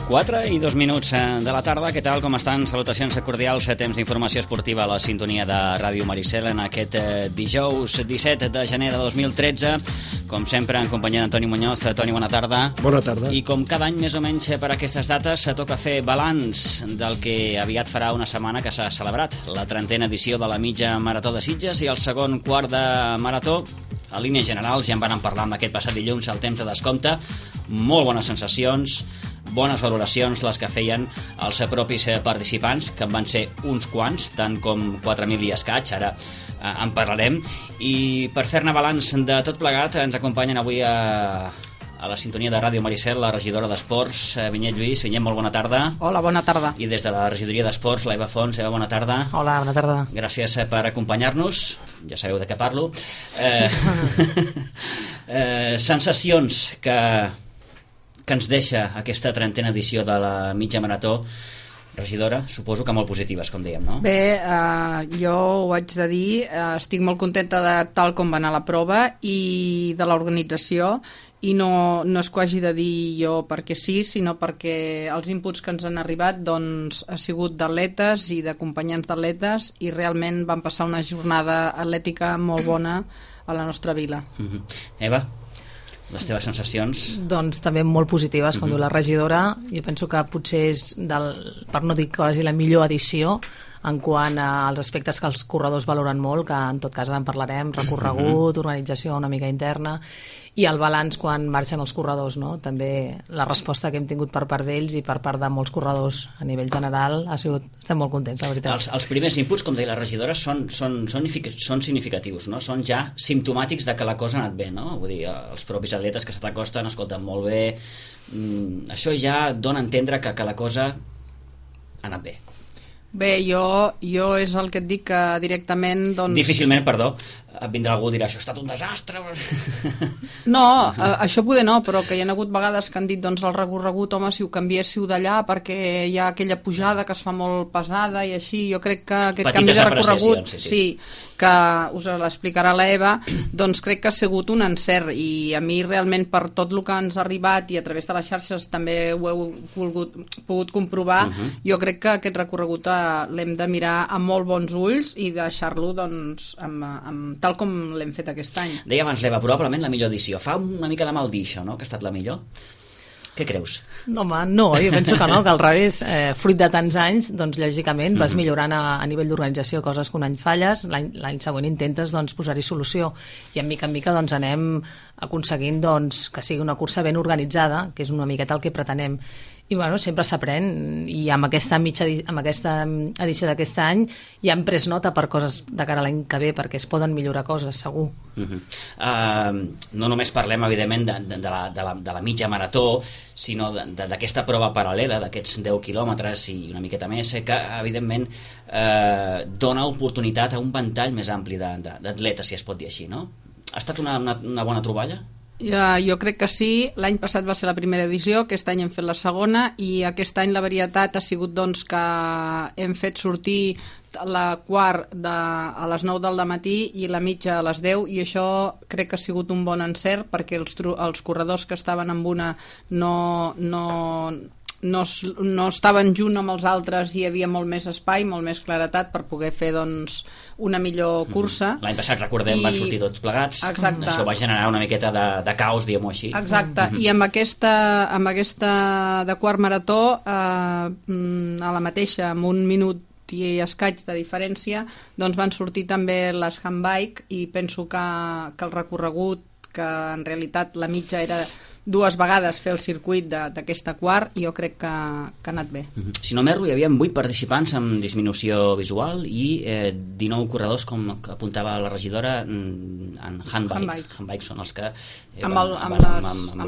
4:02 de la tarda. Què tal, com estan? Salutacions cordials, temps d'informació esportiva a la sintonia de Ràdio Maricel en aquest dijous 17 de gener de 2013. Com sempre, en companyia d'Antoni Muñoz. Toni, bona tarda. Bona tarda. I com cada any, més o menys per aquestes dates, toca fer balanç del que aviat farà una setmana que s'ha celebrat la 30a edició de la mitja marató de Sitges i el segon quart de marató. A línies generals ja en van parlar amb aquest passat dilluns al temps de descompte. Molt bones sensacions, bones valoracions les que feien els propis participants, que en van ser uns quants, tant com 4.000 i escaig, ara en parlarem. I per fer-ne balanç de tot plegat ens acompanyen avui a la sintonia de Ràdio Maricel la regidora d'Esports, Vinyet Lluís. Vinyet, molt bona tarda. Hola, bona tarda. I des de la regidoria d'Esports, la Eva Fons. Eva, bona tarda. Hola, bona tarda. Gràcies per acompanyar-nos. Ja sabeu de què parlo. Sensacions que ens deixa aquesta 30a edició de la mitja marató, regidora, suposo que molt positives, com dèiem, no? Bé, jo ho haig de dir, estic molt contenta de tal com va anar la prova i de l'organització, i no és que ho hagi de dir jo perquè sí, sinó perquè els inputs que ens han arribat doncs, ha sigut d'atletes i d'acompanyants d'atletes, i realment van passar una jornada atlètica molt bona a la nostra vila. Eva, les teves sensacions? Doncs també molt positives, com diu la regidora. Jo penso que potser és, per no dir quasi la millor edició, en quant als aspectes que els corredors valoren molt, que en tot cas en parlarem, recorregut, organització una mica interna, i el balanç quan marxen els corredors, no? També la resposta que hem tingut per part d'ells i per part de molts corredors a nivell general estem molt contents, la veritat. Els primers inputs, com deia la regidora, són significatius, no? Són ja simptomàtics de que la cosa ha anat bé, no? Vull dir, els propis atletes que se t'acosten, escolten molt bé, això ja dona a entendre que la cosa ha anat bé. Bé, jo és el que et dic que directament... Difícilment, perdó, vindrà algú i dirà, això ha estat un desastre. No, això poder no, però que hi ha hagut vegades que han dit, doncs el recorregut, home, si ho canviéssiu d'allà perquè hi ha aquella pujada que es fa molt pesada i així, jo crec que aquest canvi de recorregut, sí, que us l'explicarà la Eva, doncs crec que ha sigut un encert, i a mi realment per tot el que ens ha arribat i a través de les xarxes també ho heu pogut comprovar, jo crec que aquest recorregut l'hem de mirar amb molt bons ulls i deixar-lo doncs tal com l'hem fet aquest any. Deia abans l'Eva, probablement la millor edició. Fa una mica de mal dir això, no?, que ha estat la millor. Què creus? No, home, no, jo penso que no, que al revés, fruit de tants anys, doncs lògicament vas millorant a nivell d'organització coses que un any falles, l'any següent intentes doncs posar-hi solució, i en mica doncs anem aconseguint doncs que sigui una cursa ben organitzada, que és una miqueta el que pretenem. I bueno, sempre s'aprèn, i amb aquesta edició d'aquest any ja hem pres nota per coses de cara a l'any que ve, perquè es poden millorar coses, segur. No només parlem, evidentment, de la mitja marató, sinó d'aquesta prova paral·lela, d'aquests 10 quilòmetres i una miqueta més, que evidentment dona oportunitat a un ventall més ampli d'atletes, si es pot dir així, no? Ha estat una bona troballa? Jo crec que sí. L'any passat va ser la primera edició, aquest any hem fet la segona, i aquest any la varietat ha sigut doncs que hem fet sortir la quart a les 9 del matí i la mitja a les 10, i això crec que ha sigut un bon encert, perquè els corredors que estaven amb una no estaven junt amb els altres, i hi havia molt més espai, molt més claretat per poder fer doncs una millor cursa. L'any passat, recordem, van sortir tots plegats. Exacte. Això va generar una miqueta de caos, diguem-ho així. Exacte, i amb aquesta de quart marató a la mateixa, amb un minut i escaig de diferència, doncs van sortir també les handbike, i penso que el recorregut, que en realitat la mitja era 2 vegades fer el circuit d'aquesta quart, i jo crec que ha anat bé. Si no m'erro, hi havia 8 participants amb disminució visual i 19 corredors, com apuntava la regidora, en handbike. Handbike són els que... Amb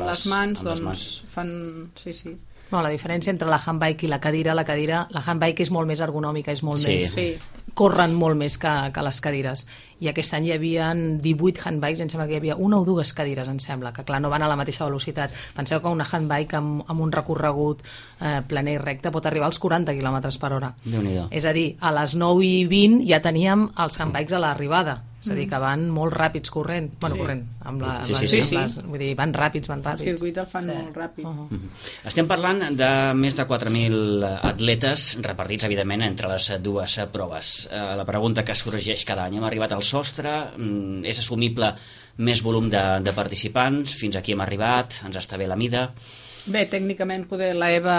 les mans, doncs fan... Sí. No, la diferència entre la handbike i la cadira, la handbike és molt més ergonòmica, és molt més... Sí. Corren molt més que les cadires. I aquest any hi havia 18 handbikes, em sembla que hi havia 1 o 2 cadires, em sembla, que clar, no van a la mateixa velocitat. Penseu que una handbike amb un recorregut planer i recte pot arribar als 40 km/h. Déu-n'hi-do. És a dir, a les 9:20 ja teníem els handbikes a l'arribada. és a dir, que van molt ràpids corrent, amb les, vull dir, van ràpids. El circuit el fan molt ràpid. Estem parlant de més de 4.000 atletes repartits, evidentment, entre les dues proves. La pregunta que sorgeix cada any: hem arribat al sostre? És assumible més volum de participants? Fins aquí hem arribat? Ens està bé la mida? Bé, tècnicament poder la Eva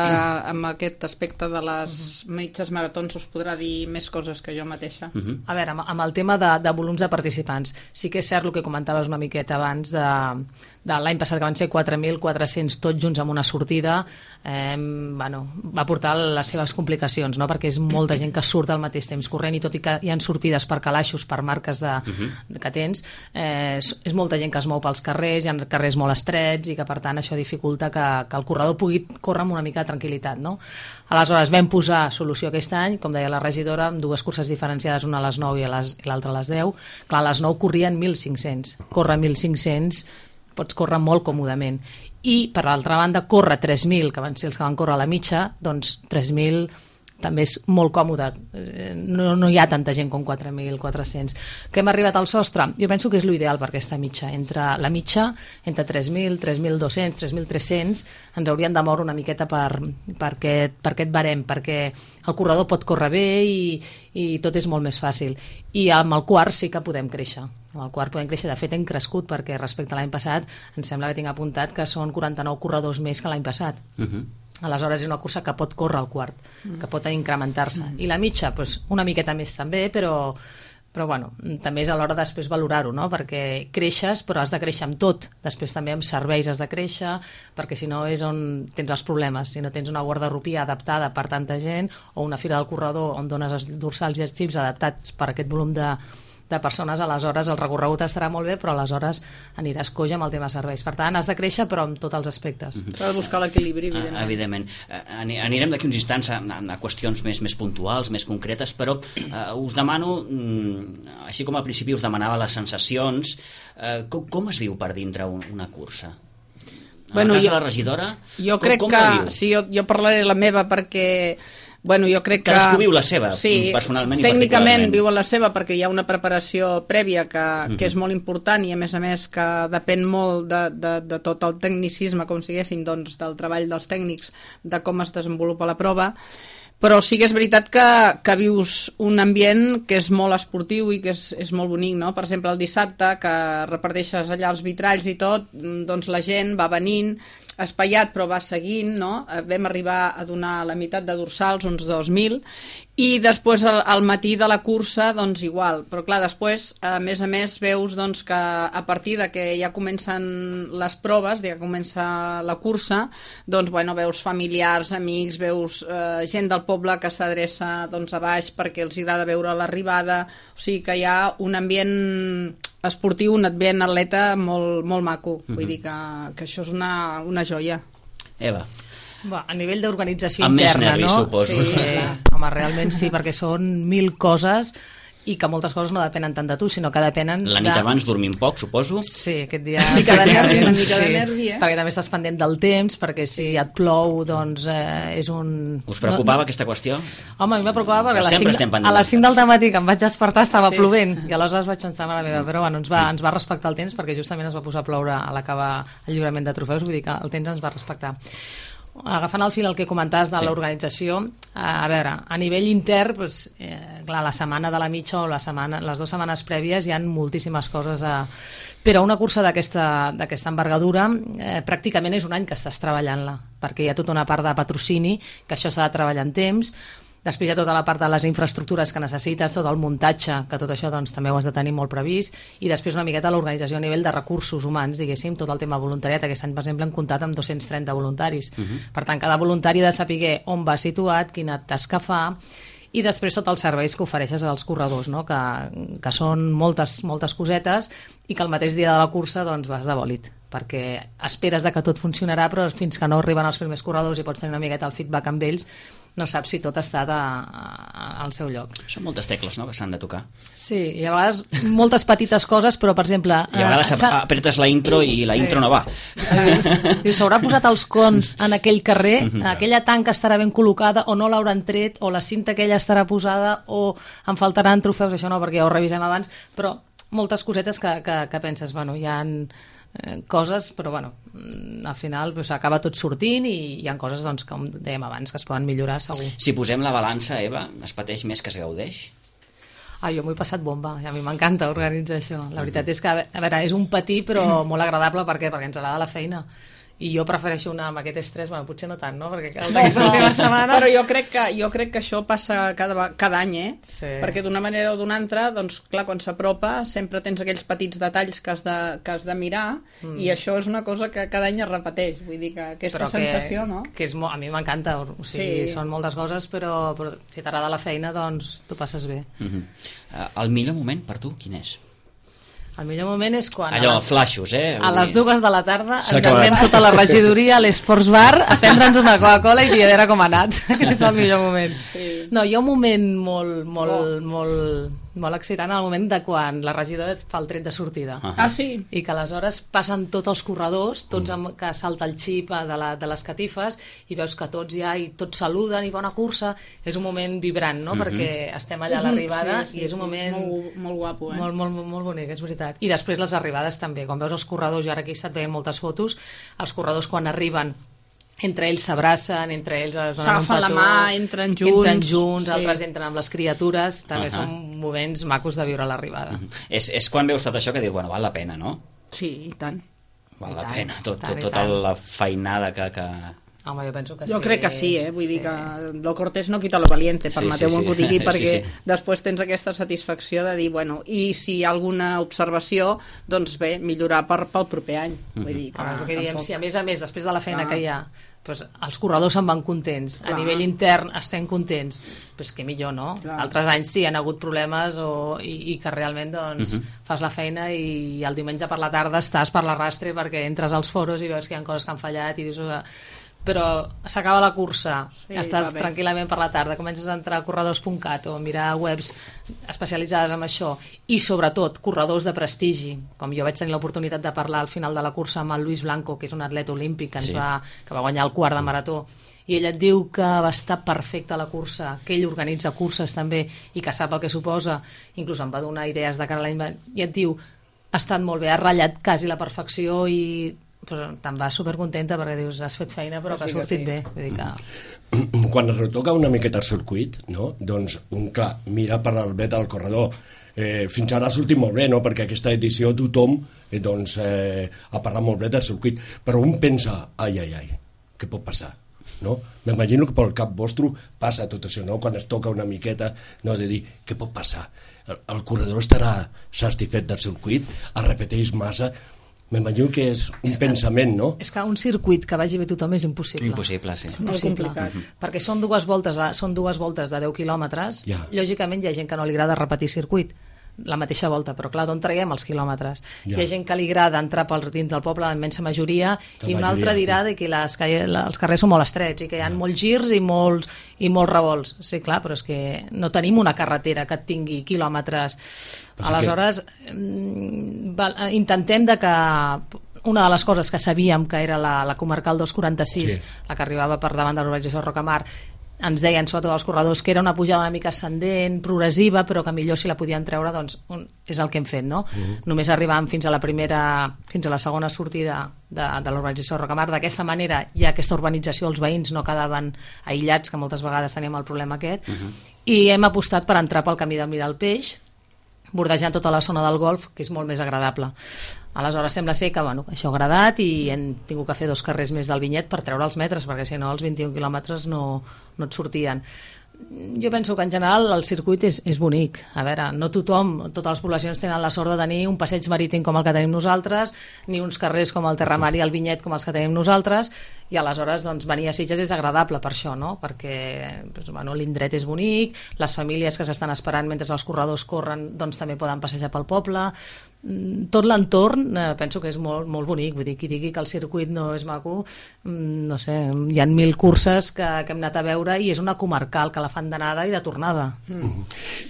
amb aquest aspecte de les mitges maratons us podrà dir més coses que jo mateixa. A veure, amb el tema de volums de participants, sí que és cert el que comentaves una miqueta abans de l'any passat, que van ser 4.400 tots junts amb una sortida, va portar les seves complicacions, no? Perquè és molta gent que surt al mateix temps corrent, i tot i que hi ha sortides per calaixos, per marques que tens, és molta gent que es mou pels carrers, hi ha carrers molt estrets, i que per tant això dificulta que el corredor pugui córrer amb una mica de tranquil·litat, no? Aleshores vam posar solució aquest any, com deia la regidora, amb dues curses diferenciades, una a les 9 i l'altra a les 10. Clar, a les 9 corrien 1.500. Córrer 1.500 pots córrer molt còmodament. I, per l'altra banda, córrer 3.000, que van ser els que van córrer a la mitja, doncs 3.000 també és molt còmode. No hi ha tanta gent com 4.400. Que hem arribat al sostre? Jo penso que és l'ideal per aquesta mitja. Entre 3.000, 3.200, 3.300 ens haurien de moure una miqueta per aquest barem, perquè el corredor pot córrer bé i tot és molt més fàcil. I amb el quart sí que podem créixer. Amb el quart podem créixer. De fet, hem crescut, perquè respecte a l'any passat em sembla que tinc apuntat que són 49 corredors més que l'any passat. Aleshores és una cursa que pot córrer al quart, que pot incrementar-se. I la mitja, doncs, una miqueta més també, però bueno, també és a l'hora després valorar-ho, no? Perquè creixes, però has de créixer amb tot. Després també amb serveis has de créixer, perquè si no és on tens els problemes. Si no tens una guardarropia adaptada per tanta gent, o una fira del corredor on dones els dorsals i els xips adaptats per aquest volum de persones, aleshores el recorregut estarà molt bé, però aleshores aniràs coix amb el tema serveis. Per tant, has de créixer, però en tots els aspectes. S'ha de buscar l'equilibri, evidentment. Anirem d'aquí uns instants a qüestions més puntuals, més concretes, però us demano, així com al principi us demanava les sensacions, com es viu per dintre una cursa? En el cas de la regidora, com la viu? Sí, jo parlaré la meva, perquè jo crec que... Cadascú viu la seva, personalment i tècnicament viuen la seva, perquè hi ha una preparació prèvia que és molt important, i a més que depèn molt de tot el tecnicisme, com siguessin, doncs, del treball dels tècnics, de com es desenvolupa la prova. Però sí que és veritat que vius un ambient que és molt esportiu i que és molt bonic, no? Per exemple, el dissabte, que reparteixes allà els vitralls i tot, doncs la gent va venint, espaiat, però va seguint, no? Vam arribar a donar la meitat de dorsals, uns 2.000, i després al matí de la cursa, doncs igual. Però clar, després, a més, veus doncs, que a partir de que ja comencen les proves, ja comença la cursa, doncs, veus familiars, amics, veus gent del poble que s'adreça doncs, a baix perquè els agrada veure l'arribada, o sigui que hi ha un ambient esportiu, un ambient atleta molt, molt maco. Vull dir que això és una joia. Eva. A nivell d'organització interna, nervis, no? Suposo. Sí, home, realment sí, perquè són 1.000 coses i que moltes coses no depenen tant de tu, sinó que depenen... La nit abans dormim poc, suposo? Sí, aquest dia... Una mica de nervi, perquè també estàs pendent del temps, perquè si et plou, doncs és un... Us preocupava aquesta qüestió? Home, a mi me preocupava perquè a les 5 del matí que em vaig despertar estava plovent, i aleshores vaig pensar, mare meva, però bueno, ens va respectar el temps, perquè justament es va posar a ploure a l'acabar el lliurament de trofeus, vull dir que el temps ens va respectar. Agafant el fil el que comentaves de l'organització, a veure, a nivell intern, doncs, clar, la setmana de la mitja o les 2 setmanes prèvies hi ha moltíssimes coses però una cursa d'aquesta envergadura pràcticament és un any que estàs treballant-la, perquè hi ha tota una part de patrocini, que això s'ha de treballar en temps. Després hi ha tota la part de les infraestructures que necessites, tot el muntatge, que tot això doncs, també ho has de tenir molt previst, i després una miqueta l'organització a nivell de recursos humans, diguéssim, tot el tema voluntariat. Aquest any, per exemple, hem comptat amb 230 voluntaris. Per tant, cada voluntari ha de saber on va situat, quina tasca fa, i després tots els serveis que ofereixes als corredors, no? que són moltes cosetes, i que el mateix dia de la cursa doncs, vas de bòlit, perquè esperes que tot funcionarà, però fins que no arriben els primers corredors i pots tenir una miqueta el feedback amb ells, no saps si tot està al seu lloc. Són moltes tecles, no?, que s'han de tocar. Sí, i a vegades moltes petites coses, però, per exemple... I a vegades apretes la intro i la intro no va. S'haurà posat els cons en aquell carrer, aquella tanca estarà ben col·locada o no l'hauran tret, o la cinta aquella estarà posada, o em faltaran trofeus, això no, perquè ja ho revisem abans, però moltes cosetes que penses, bueno, hi ha coses, però bueno, al final acaba tot sortint i hi ha coses, doncs, com dèiem abans, que es poden millorar segur. Si posem la balança, Eva, es pateix més que es gaudeix? Jo m'ho he passat bomba, i a mi m'encanta organitzar això. La veritat és que, a veure, és un patí però molt agradable, per què? Perquè ens agrada la feina. I jo prefereixo anar amb aquest estrès, bueno, potser no tant, no? Perquè aquesta última setmana... Però jo crec que això passa cada any, Sí. Perquè d'una manera o d'una altra, doncs, clar, quan s'apropa sempre tens aquells petits detalls que has de mirar i això és una cosa que cada any es repeteix. Vull dir que aquesta sensació, no? Que a mi m'encanta, o sigui, són moltes coses, però si t'agrada la feina, doncs t'ho passes bé. El millor moment per tu, quin és? El millor moment és quan... Allò, flaixos, A les 2 de la tarda ens anem tota la regidoria a l'Esports Bar a prendre'ns una Coca-Cola i dir a veure com ha anat. Aquest és el millor moment. Sí. No, hi ha un moment molt excitant, el moment de quan la regidora fa el tret de sortida. Sí? I que aleshores passen tots els corredors, tots que salta el xip de les catifes i veus que tots hi ha i tots saluden i bona cursa. És un moment vibrant, no? Perquè estem allà a l'arribada i és un moment... Molt guapo, Molt bonic, és veritat. I després les arribades també, quan veus els corredors, jo ara aquí he estat veient moltes fotos, els corredors quan arriben entre ells s'abracen, entre ells es donen un petó, s'agafen la mà, entren junts, altres entren amb les criatures, també són moments macos de viure l'arribada. És quan veus tot això que dius, bueno, val la pena, no? Sí, i tant. Val la pena, tota la feinada que... Home, jo penso que sí. Jo crec que sí, vull dir que lo cortés no quita lo valiente, permeteu-me que ho digui, perquè després tens aquesta satisfacció de dir, bueno, i si hi ha alguna observació, doncs bé, millorar pel proper any. Vull dir que que diem, si a més, després de la feina que hi ha, doncs els corredors se'n van contents, a nivell intern estem contents, doncs que millor, no? Altres anys sí, han hagut problemes i que realment doncs, fas la feina i el diumenge per la tarda estàs per l'arrastre perquè entres als foros i veus que hi ha coses que han fallat i dius... però s'acaba la cursa, estàs tranquil·lament per la tarda, comences a entrar a corredors.cat o a mirar webs especialitzades en això, i sobretot corredors de prestigi, com jo vaig tenir l'oportunitat de parlar al final de la cursa amb el Luis Blanco, que és un atleta olímpic que va guanyar el quart de marató, i ell et diu que va estar perfecte a la cursa, que ell organitza curses també i que sap el que suposa, inclús em va donar idees de cara a l'any, i et diu, ha estat molt bé, ha ratllat quasi la perfecció i però te'n vas supercontenta perquè dius, has fet feina però que ha sortit bé. Vull dir que... Quan es retoca una miqueta el circuit, no? Doncs clar, mira per el bé del corredor. Fins ara ha sortit molt bé, no? Perquè aquesta edició tothom ha parlat molt bé del circuit, però un pensa, ai, què pot passar? No? M'imagino que pel cap vostre passa tot això, no? Quan es toca una miqueta, no? De dir, què pot passar? El corredor estarà satisfet del circuit, es repeteix massa. M'imagino que és un pensament, no? És que un circuit que vagi bé tothom és impossible. Impossible, sí. És impossible, perquè són dues voltes de 10 quilòmetres. Lògicament hi ha gent que no li agrada repetir circuit la mateixa volta, però clar, d'on traiem els quilòmetres? Hi ha gent que li agrada entrar dins del poble, la immensa majoria, i una altra dirà que els carrers són molt estrets i que hi ha molts girs i molts revolts. Sí, clar, però és que no tenim una carretera que tingui quilòmetres. Aleshores, intentem que una de les coses que sabíem que era la comarcal 246, la que arribava per davant de l'urbanització de Rocamar, ens deien, sobretot els corredors, que era una pujada una mica ascendent, progressiva, però que millor si la podien treure, doncs és el que hem fet, no? Només arribàvem fins a la segona sortida de l'urbanització de Rocamar. D'aquesta manera hi ha aquesta urbanització, els veïns no quedaven aïllats, que moltes vegades teníem el problema aquest, i hem apostat per entrar pel camí del Mirar el Peix, bordejant tota la zona del golf, que és molt més agradable. Aleshores sembla ser que això ha agradat i hem tingut que fer 2 carrers més del Vinyet per treure els metres, perquè si no els 21 quilòmetres no et sortien. Jo penso que en general el circuit és bonic. A veure, no totes les poblacions tenen la sort de tenir un passeig marítim com el que tenim nosaltres, ni uns carrers com el Terramar i el Vinyet com els que tenim nosaltres, i aleshores doncs, venir a Sitges és agradable per això, no? Perquè l'indret és bonic, les famílies que s'estan esperant mentre els corredors corren doncs, també poden passejar pel poble. Tot l'entorn penso que és molt, molt bonic. Vull dir, qui digui que el circuit no és maco, no sé, hi ha 1000 curses que hem anat a veure i és una comarcal que la fan d'anada i de tornada.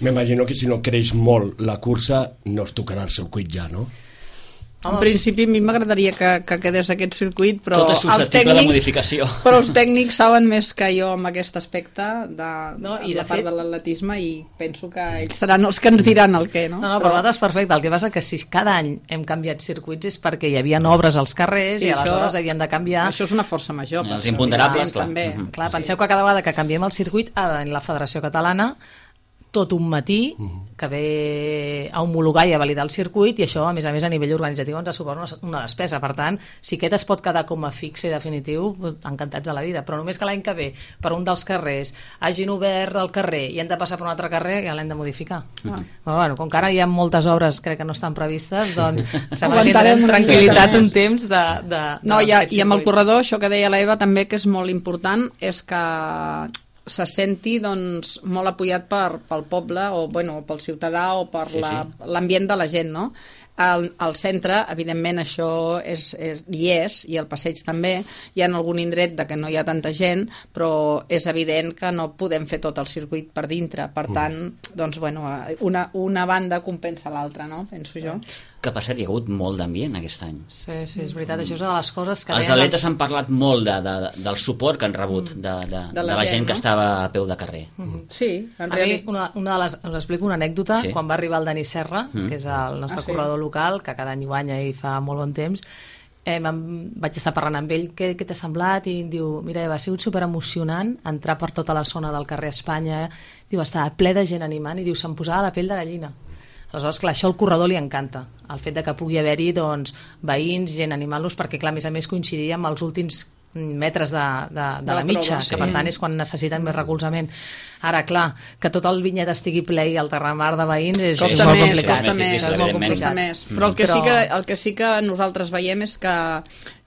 M'imagino que si no creix molt la cursa no es tocarà el circuit ja, no? En principi a mi m'agradaria que quedés aquest circuit, però tot és susceptible de modificació. Però els tècnics saben més que jo en aquest aspecte de la part de l'atletisme, i penso que ells seran els que ens diran el què, no? No, per nosaltres perfecte. El que passa que si cada any hem canviat circuits és perquè hi havia obres als carrers i aleshores havien de canviar. Això és una força major. Els imponderables, clar. Clar, penseu que cada vegada que canviem el circuit en la Federació Catalana tot un matí que ve a homologar i a validar el circuit, i això, a més a nivell organitzatiu ens suposa una despesa. Per tant, si aquest es pot quedar com a fixe i definitiu, encantats de la vida, però només que l'any que ve per un dels carrers hagin obert el carrer i hem de passar per un altre carrer, ja l'hem de modificar. Però bueno, com que ara hi ha moltes obres crec que no estan previstes, doncs sembla que tindrem tranquil·litat un temps No, i amb el corredor, això que deia l'Eva també, que és molt important, és que se senti doncs, molt apoyat pel poble o pel ciutadà o per l'ambient de la gent, no? Al centre, evidentment, això hi és, i el passeig també. Hi ha algun indret que no hi ha tanta gent, però és evident que no podem fer tot el circuit per dintre. Per tant, doncs, una banda compensa l'altra, no? Penso jo. Que per cert, hi ha hagut molt d'ambient aquest any. Sí, és veritat, això és una de les coses que... Els atletes han parlat molt del suport que han rebut de la gent que estava a peu de carrer. Sí, en realitat. Us explico una anècdota. Quan va arribar el Dani Serra, que és el nostre corredor local, que cada any guanya i fa molt bon temps, vaig estar parlant amb ell, què t'ha semblat? I em diu, mira, Eva, ha sigut superemocionant entrar per tota la zona del carrer Espanya, diu, estava ple de gent animant, i diu, se'm posava la pell de gallina. Aleshores, clar, això al corredor li encanta, el fet de que pugui haver-hi veïns, gent animant-los, perquè, clar, a més coincidia amb els últims metres de la mitja, que per tant és quan necessiten més recolzament. Ara, clar, que tot el vinyet estigui ple i el terramar de veïns és molt complicat. Costa més. Però el que sí que nosaltres veiem és que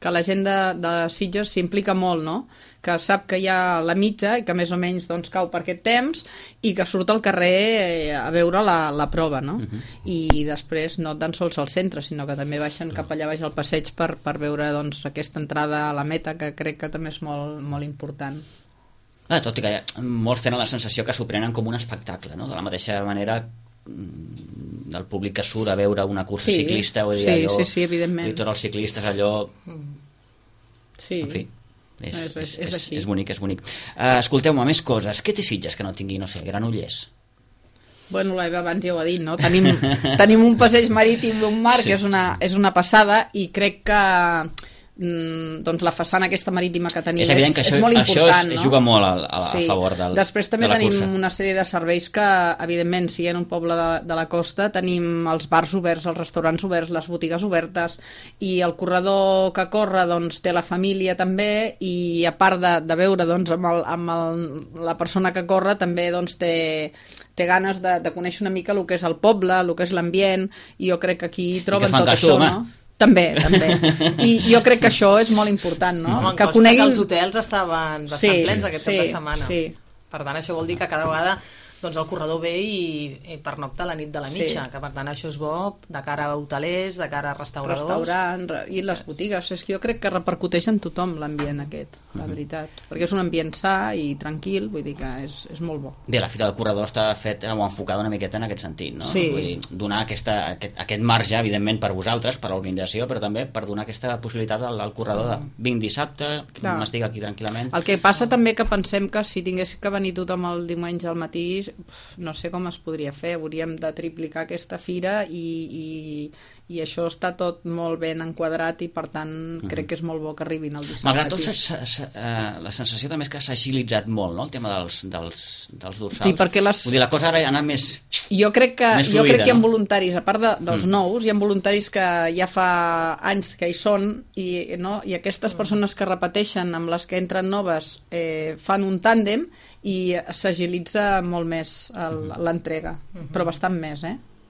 la gent de Sitges s'implica molt, no? Que sap que hi ha la mitja i que més o menys cau per aquest temps i que surt al carrer a veure la prova, no? I després no tan sols al centre, sinó que també baixen cap allà baix al passeig per veure aquesta entrada a la meta, que crec que també és molt, molt important. Tot i que molts tenen la sensació que s'ho prenen com un espectacle, no? De la mateixa manera del públic que surt a veure una cursa ciclista, sí, evidentment. I tots els ciclistes allò... Sí. En fi, és bonic, és bonic. Escolteu-me, més coses. Què té Sitges que no tingui, no sé, Granollers? Bueno, l'Eva abans ja ho ha dit, no? Tenim un passeig marítim d'un mar que és una passada, i crec que la façana aquesta marítima que tenim és molt important, no? Juga molt a favor de la cursa. Després també tenim una sèrie de serveis que, evidentment, si en un poble de la costa tenim els bars oberts, els restaurants oberts, les botigues obertes, i el corredor que corre té la família també, i a part de veure amb la persona que corre també té ganes de conèixer una mica el que és el poble, el que és l'ambient, i jo crec que aquí troben tot això, no? També. I jo crec que això és molt important, no? Que coneguin... Els hotels estaven bastant plens aquest cap de setmana. Per tant, això vol dir que cada vegada el corredor ve i pernocta la nit de la mitja, que per tant això és bo de cara a hotelers, de cara a restauradors. I les botigues. És que jo crec que repercuteix en tothom l'ambient aquest, la veritat. Perquè és un ambient sa i tranquil, vull dir que és molt bo. Bé, la Fira del Corredor està feta o enfocada una miqueta en aquest sentit, no? Sí. Vull dir, donar aquest marge, evidentment, per vosaltres, per l'organització, però també per donar aquesta possibilitat al corredor de vinc dissabte, m'estic aquí tranquil·lament. El que passa també que pensem que si tingués que venir tothom el diumenge al matí, no sé com es podria fer, hauríem de triplicar aquesta fira i això està tot molt ben enquadrat, i per tant crec que és molt bo que arribin el dissabte. Malgrat tot, la sensació també és que s'ha agilitzat molt, no?, el tema dels dorsals. Sí, perquè vull dir, la cosa ara ha anat més Jo crec que fluida, hi ha voluntaris, a part dels nous, hi ha voluntaris que ja fa anys que hi són, i aquestes persones que repeteixen amb les que entren noves fan un tàndem i s'agilitza molt més l'entrega, però bastant més,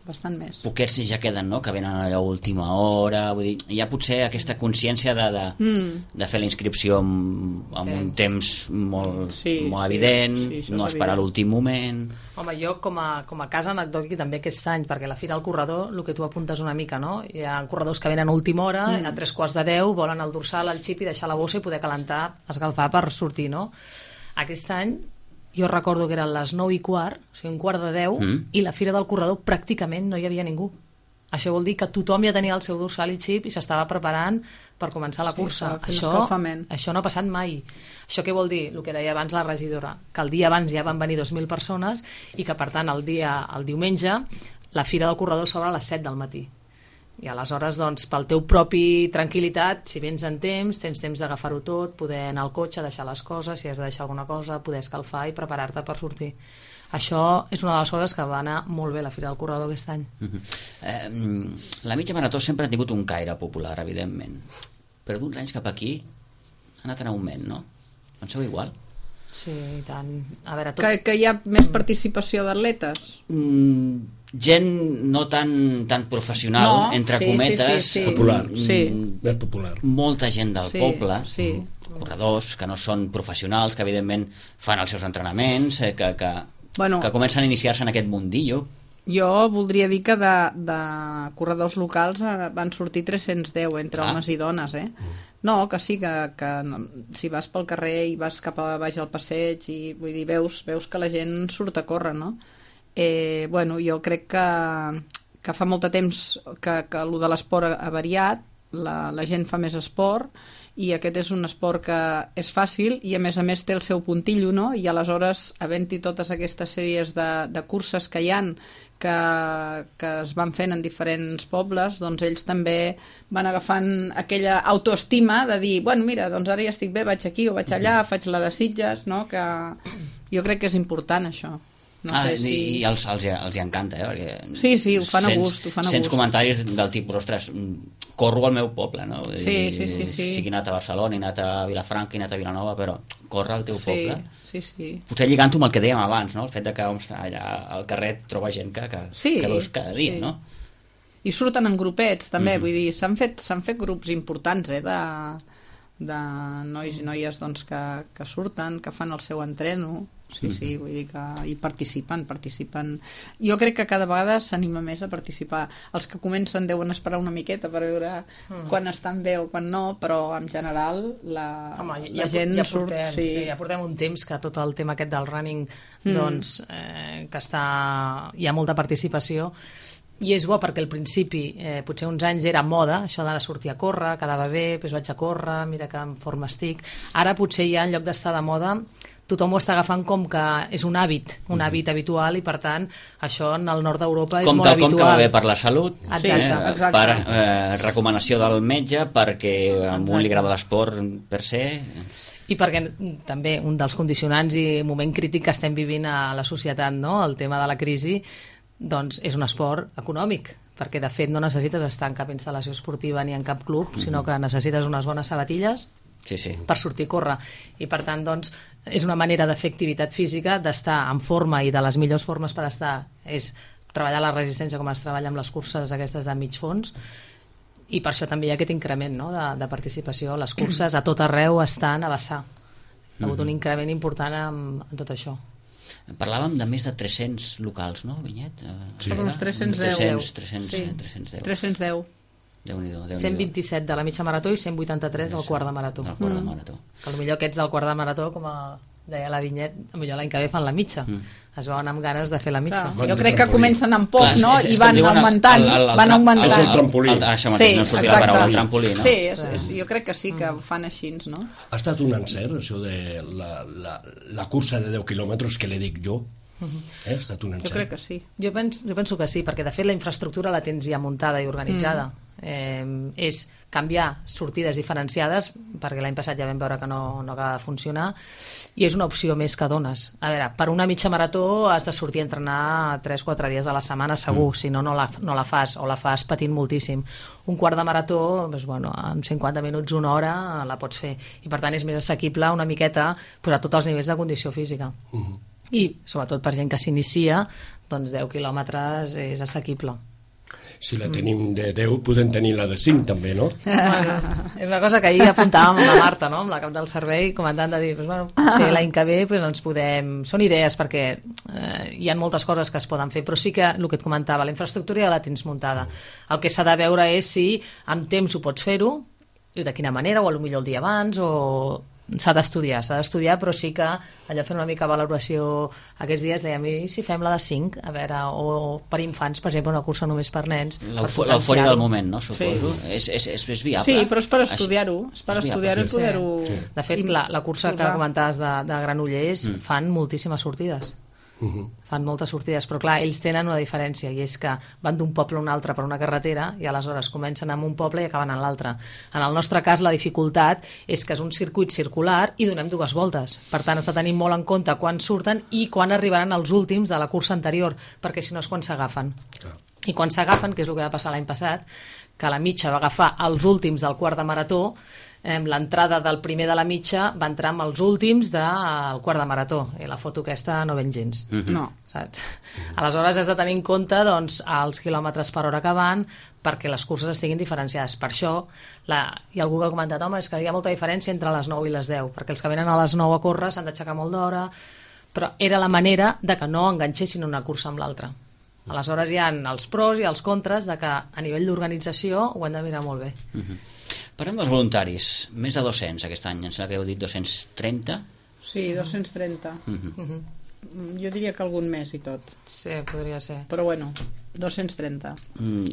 bastant més. Poquets ja queden, no?, que venen allò a última hora, vull dir, hi ha potser aquesta consciència de fer la inscripció amb un temps molt evident, no esperar l'últim moment. Home, jo com a cas anecdòtic també aquest any, perquè la Fira del Corredor, el que tu apuntes una mica, no? Hi ha corredors que venen a última hora, a 3:45, volen el dorsal, el xip i deixar la bossa i poder calentar, escalfar per sortir, no? Aquest any jo recordo que eren les 9:15, o sigui, 9:45, i la Fira del Corredor pràcticament no hi havia ningú. Això vol dir que tothom ja tenia el seu dorsal i xip i s'estava preparant per començar la cursa. Això no ha passat mai. Això què vol dir? El que deia abans la regidora, que el dia abans ja van venir 2.000 persones i que, per tant, el diumenge la Fira del Corredor s'obre a les 7 del matí. I aleshores, doncs, pel teu propi tranquil·litat, si vens en temps, tens temps d'agafar-ho tot, poder anar al cotxe, deixar les coses, si has de deixar alguna cosa, poder escalfar i preparar-te per sortir. Això és una de les coses que va anar molt bé la Fira del Corredor aquest any. La mitja marató sempre ha tingut un caire popular, evidentment, però d'uns anys cap aquí ha anat en augment, no? Penseu igual? Sí, i tant. A veure, que hi ha més participació d'atletes? Gent no tan professional, entre cometes, popular, més popular. Molta gent del poble, corredors que no són professionals, que evidentment fan els seus entrenaments, que comencen a iniciar-se en aquest mundillo. Jo voldria dir que de corredors locals van sortir 310 entre homes i dones, No, que sí, que si vas pel carrer i vas cap a baix al passeig i vull dir, veus que la gent surt a córrer, no? Jo crec que fa molt de temps que el de l'esport ha variat, la gent fa més esport i aquest és un esport que és fàcil i a més té el seu puntillo, no? I aleshores, havent-hi totes aquestes sèries de curses que hi han que es van fent en diferents pobles, doncs ells també van agafant aquella autoestima de dir, bueno, mira, doncs ara ja estic bé, vaig aquí o vaig allà, faig la de Sitges, no? Que jo crec que és important això. No sé si... I els hi encanta, perquè sí, ho fan a gust. Sents comentaris del tipus, ostres, corro al meu poble, no? Sí. Sigui anat a Barcelona, he anat a Vilafranca, he anat a Vilanova, però corre al teu poble. Sí. Potser lligant-ho amb el que dèiem abans, no? El fet de que allà al carrer troba gent que veus cada dia, no? I surten en grupets, també, vull dir, s'han fet grups importants, de nois i noies doncs, que surten, que fan el seu entreno. Sí, vull dir que hi participen. Jo crec que cada vegada s'anima més a participar. Els que comencen deuen esperar una miqueta per veure quan estan bé o quan no, però en general la gent surt... Ja portem un temps que tot el tema aquest del running doncs, que hi ha molta participació i és bo perquè al principi potser uns anys era moda, això d'anar a sortir a córrer, quedava bé, doncs vaig a córrer, mira que en forma estic. Ara potser ja en lloc d'estar de moda tothom ho està agafant com que és un hàbit habitual i per tant això en el nord d'Europa és molt habitual. Com que va bé per la salut, exacte. Per recomanació del metge, perquè a un li agrada l'esport per se... I perquè també un dels condicionants i moment crític que estem vivint a la societat, no? El tema de la crisi, doncs és un esport econòmic, perquè de fet no necessites estar en cap instal·lació esportiva ni en cap club, sinó que necessites unes bones sabatilles per sortir a córrer. I per tant, doncs, és una manera de fer activitat física, d'estar en forma i de les millors formes per estar és treballar la resistència com es treballa amb les curses aquestes de mig fons i per això també hi ha aquest increment, no? de participació. Les curses a tot arreu estan a vessar. Ha hagut un increment important en tot això. Parlàvem de més de 300 locals, no, Vinyet? Uns 310. 310. Déu-n'hi-do. 127 de la mitja marató i 183 del quart de marató. Que potser aquests del quart de marató, com deia la Vinyet, potser l'any que ve fan la mitja. Es veuen amb ganes de fer la mitja. Jo crec que comencen amb poc, no? I van augmentant. El trampolí. Això mateix, no sortia la paraula, el trampolí, no? Sí, jo crec que sí, que ho fan així, no? Ha estat un encert, això de la cursa de 10 quilòmetres que li dic jo. Ha estat un encert. Jo crec que sí. Jo penso que sí, perquè de fet la infraestructura la tens ja muntada i organitzada. És canviar sortides diferenciades, perquè l'any passat ja vam veure que no acaba de funcionar, i és una opció més que dones. A veure, per una mitja marató has de sortir a entrenar 3-4 dies a la setmana segur, si no la fas, o la fas patint moltíssim. Un quart de marató, doncs, bueno, en 50 minuts, una hora, la pots fer, i per tant és més assequible una miqueta a tots els nivells de condició física. I sobretot per gent que s'inicia, doncs 10 quilòmetres és assequible. Si la tenim de 10, podem tenir la de 5 també, no? És una cosa que ahir apuntàvem amb la Marta, no? Amb la cap del servei, comentant de dir, potser l'any que ve ens podem... Són idees perquè hi ha moltes coses que es poden fer, però sí que el que et comentava, la infraestructura ja la tens muntada. El que s'ha de veure és si amb temps ho pots fer-ho, i de quina manera, o potser el dia abans, o s'ha d'estudiar, però sí que allò fent una mica valoració aquests dies dèiem, i si fem la de 5, a veure, o per infants, per exemple, una cursa només per nens. L'eufòria del moment, no? Suposo. És viable. Sí, però és per estudiar-ho. És per estudiar-ho i poder-ho... De fet, la cursa que comentaves de Granollers fan moltíssimes sortides. Fan moltes sortides, però clar, ells tenen una diferència, i és que van d'un poble a un altre per una carretera i aleshores comencen en un poble i acaben en l'altre. En el nostre cas la dificultat és que és un circuit circular i donem 2 voltes, per tant has de tenir molt en compte quan surten i quan arribaran els últims de la cursa anterior, perquè si no és quan s'agafen. I quan s'agafen, que és el que va passar l'any passat, que la mitja va agafar els últims del quart de marató, l'entrada del primer de la mitja va entrar amb els últims del quart de marató, i la foto aquesta no ven gens. No. Saps? Aleshores has de tenir en compte doncs, els quilòmetres per hora que van, perquè les curses estiguin diferenciades. Per això hi ha algú que ha comentat, home, és que hi ha molta diferència entre les 9 i les 10, perquè els que venen a les 9 a córrer s'han d'aixecar molt d'hora, però era la manera de que no enganxessin una cursa amb l'altra. Aleshores hi ha els pros i els contres de que a nivell d'organització ho hem de mirar molt bé. Parlem dels voluntaris, més de 200 aquest any, em sembla que heu dit 230? Sí, 230. Jo diria que algun més i tot. Sí, podria ser. Però bueno, 230.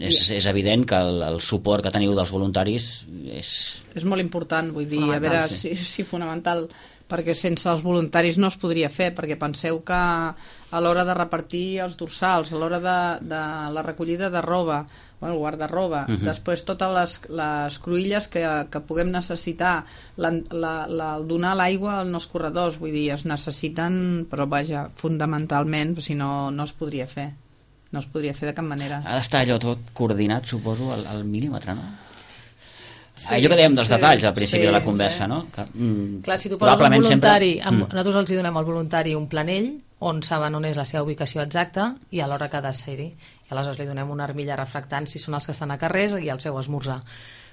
És evident que el suport que teniu dels voluntaris és molt important, vull dir, a veure, sí, fonamental, perquè sense els voluntaris no es podria fer, perquè penseu que a l'hora de repartir els dorsals, a l'hora de la recollida de roba, el guarda-roba, després totes les cruïlles que puguem necessitar, donar l'aigua als corredors, vull dir, es necessiten, però vaja, fundamentalment, si no, no es podria fer. No es podria fer de cap manera. Ha d'estar allò tot coordinat, suposo, al mil·límetre, no? Sí, allò que dèiem dels detalls al principi de la conversa, no? Que, clar, si tu poses un voluntari, nosaltres els donem al voluntari un planell on saben on és la seva ubicació exacta i a l'hora que ha de ser-hi. I aleshores li donem una armilla refractant si són els que estan a carrers i el seu esmorzar.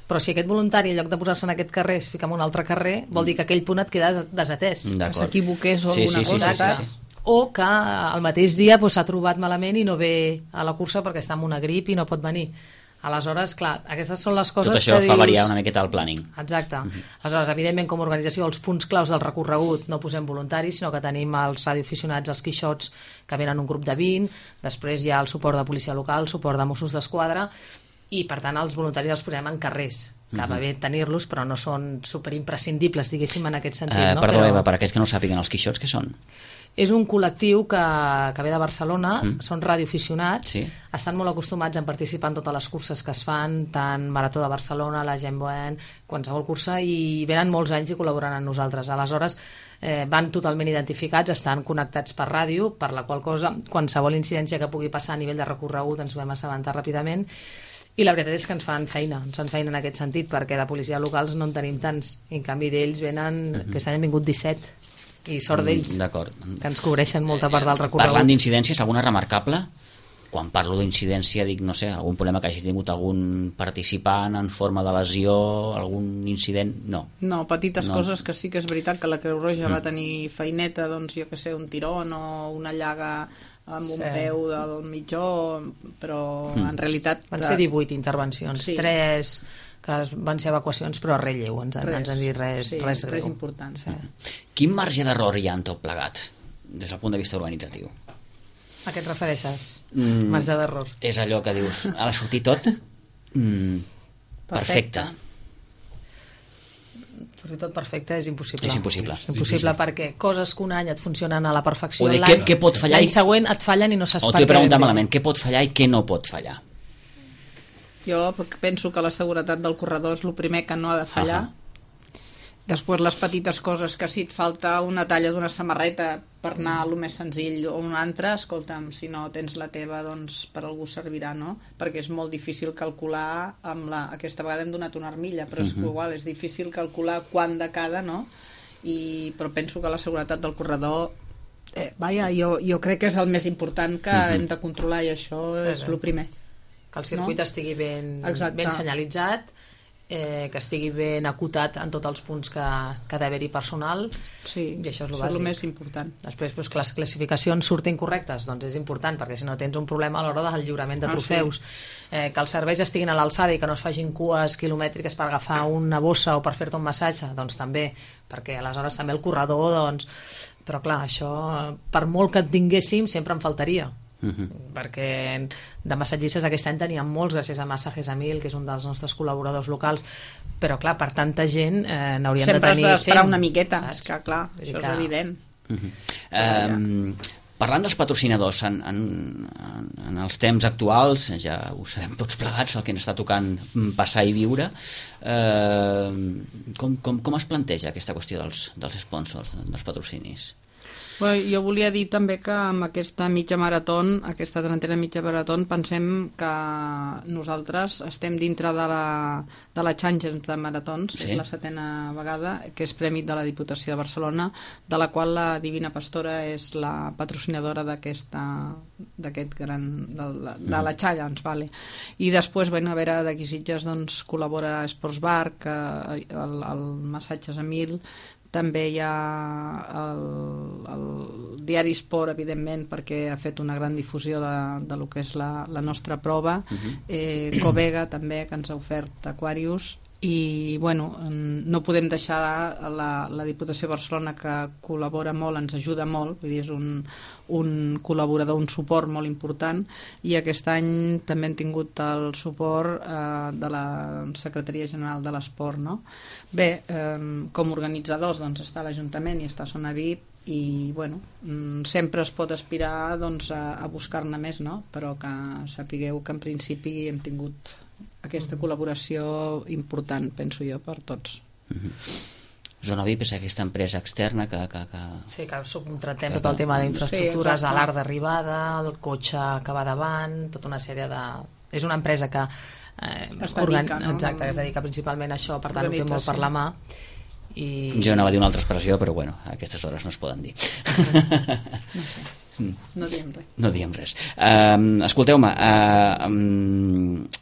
Però si aquest voluntari, en lloc de posar-se en aquest carrer, es fica en un altre carrer, vol dir que aquell punt et queda desatès. Que s'equivoqués o alguna cosa. Sí. O que el mateix dia s'ha trobat malament i no ve a la cursa perquè està amb una grip i no pot venir. Aleshores, clar, aquestes són les coses que dius... Tot això fa variar una miqueta el planning. Exacte. Aleshores, evidentment, com a organització, els punts claus del recorregut no posem voluntaris, sinó que tenim els radioaficionats, els quixots, que venen un grup de 20, després hi ha el suport de policia local, suport de Mossos d'Esquadra, i, per tant, els voluntaris els posem en carrers, que va bé tenir-los, però no són superimprescindibles, diguéssim, en aquest sentit. No? Perdó, Eva, per aquells que no sàpiguen, els quixots, què són? És un col·lectiu que ve de Barcelona, són radioaficionats, estan molt acostumats a participar en totes les curses que es fan, tant Marató de Barcelona, la Gemboen, qualsevol cursa, i venen molts anys i col·laboren amb nosaltres. Aleshores, van totalment identificats, estan connectats per ràdio, per la qual cosa, qualsevol incidència que pugui passar a nivell de recorregut ens vam assabentar ràpidament, i la veritat és que ens fan feina en aquest sentit, perquè de policia locals no en tenim tants, i en canvi d'ells venen, aquest any han vingut 17, i sort d'ells, que ens cobreixen molta part del recorregut. Parlant d'incidències, alguna remarcable? Quan parlo d'incidència dic, no sé, algun problema que hagi tingut algun participant en forma de lesió, algun incident? No, petites coses que sí que és veritat que la Creu Roja va tenir feineta, doncs jo que sé, un tirón o una llaga amb un peu del mitjó, però en realitat... Van ser 18 intervencions, 3... que van ser evacuacions, però res lleu, ens han dit res greu. Res important. Sí. Quin marge d'error hi ha en tot plegat, des del punt de vista organitzatiu? A què et refereixes? Marge d'error. És allò que dius, ha de sortir tot perfecte. Sortir tot perfecte és impossible. És impossible. És impossible perquè coses que un any et funcionen a la perfecció, què pot fallar, l'any següent et fallen i no saps per què. O t'ho he preguntat malament, què pot fallar i què no pot fallar? Jo penso que la seguretat del corredor és el primer que no ha de fallar. Després les petites coses, que si et falta una talla d'una samarreta per anar a lo més senzill o un altre, escolta'm, si no tens la teva, doncs per algú servirà, no? Perquè és molt difícil calcular aquesta vegada hem donat una armilla, però és igual, és difícil calcular quant de cada, no? Però penso que la seguretat del corredor jo crec que és el més important que hem de controlar, i això és el primer. Que el circuit estigui ben senyalitzat que estigui ben acotat en tots els punts que ha d'haver-hi personal, sí, i això és el bàsic. bàsic. Més important. Després, que les classificacions surtin correctes, doncs és important, perquè si no tens un problema a l'hora del lliurament de trofeus. Que els serveis estiguin a l'alçada i que no es facin cues quilomètriques per agafar una bossa o per fer-te un massatge, doncs també, perquè aleshores també el corredor, doncs... Però clar, això, per molt que en tinguéssim, sempre en faltaria. Perquè de massatgistes aquest any teníem molts gràcies a Massajes a 1000, que és un dels nostres col·laboradors locals, però clar, per tanta gent n'hauríem de tenir 100. Sempre has d'esperar una miqueta, és que clar, això és evident. Parlant dels patrocinadors, en els temps actuals, ja ho sabem tots plegats, el que ens està tocant passar i viure, com es planteja aquesta qüestió dels sponsors, dels patrocinis? Bé, jo volia dir també que amb aquesta mitja marató, aquesta 30a mitja marató, pensem que nosaltres estem dintre de la Champions de maratons, és la 7a vegada, que és premi de la Diputació de Barcelona, de la qual la Divina Pastora és la patrocinadora d'aquest gran... de la Challenge, vale. I després, a veure, d'aquí Sitges col·labora Sports Bar, el Massatges a 1000, també hi ha el diari Esport, evidentment, perquè ha fet una gran difusió de lo que és la nostra prova. Covega també, que ens ha ofert Aquarius, i bueno, no podem deixar la Diputació de Barcelona, que col·labora molt, ens ajuda molt, vull dir, és un col·laborador, un suport molt important, i aquest any també hem tingut el suport de la Secretaria General de l'Esport, no? Bé, com organitzadors està l'Ajuntament i està Zona VIP, i bueno, sempre es pot aspirar a buscar-ne més, no? Però que sapigueu que en principi hem tingut aquesta col·laboració important, penso jo, per tots. Zona VIP és aquesta empresa externa que... Sí, que subcontratem tot el tema d'infraestructures, a l'art d'arribada, el cotxe que va davant, tota una sèrie de... És una empresa que es dedica, no? Exacte, que es dedica principalment a això, per tant ho té molt per la mà. Jo anava a dir una altra expressió, però bueno, a aquestes hores no es poden dir. No sé. No diem res. No diem res. Escolteu-me,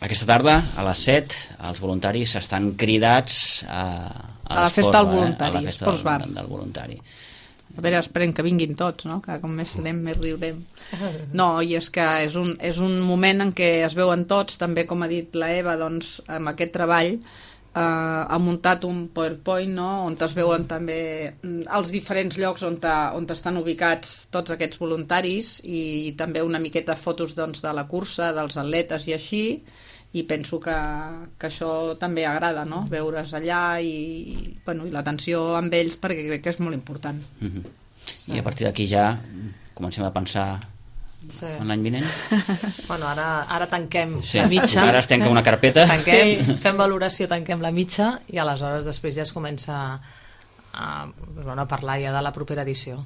aquesta tarda, a les 7, els voluntaris estan cridats a la festa del voluntari, a la festa del voluntari. A veure, esperem que vinguin tots, no? Que com més serem, més riurem. No, i és que és un moment en què es veuen tots, també com ha dit la Eva, doncs, amb aquest treball, ha muntat un PowerPoint, no? On es veuen també els diferents llocs on estan ubicats tots aquests voluntaris, i també una miqueta fotos de la cursa, dels atletes i així, i penso que això també agrada, no? Veure's allà i l'atenció amb ells, perquè crec que és molt important. I a partir d'aquí ja comencem a pensar en l'any vinent? Bueno, ara tanquem la mitja. Ara es tanca una carpeta. Fem valoració, tanquem la mitja, i aleshores després ja es comença a parlar ja de la propera edició.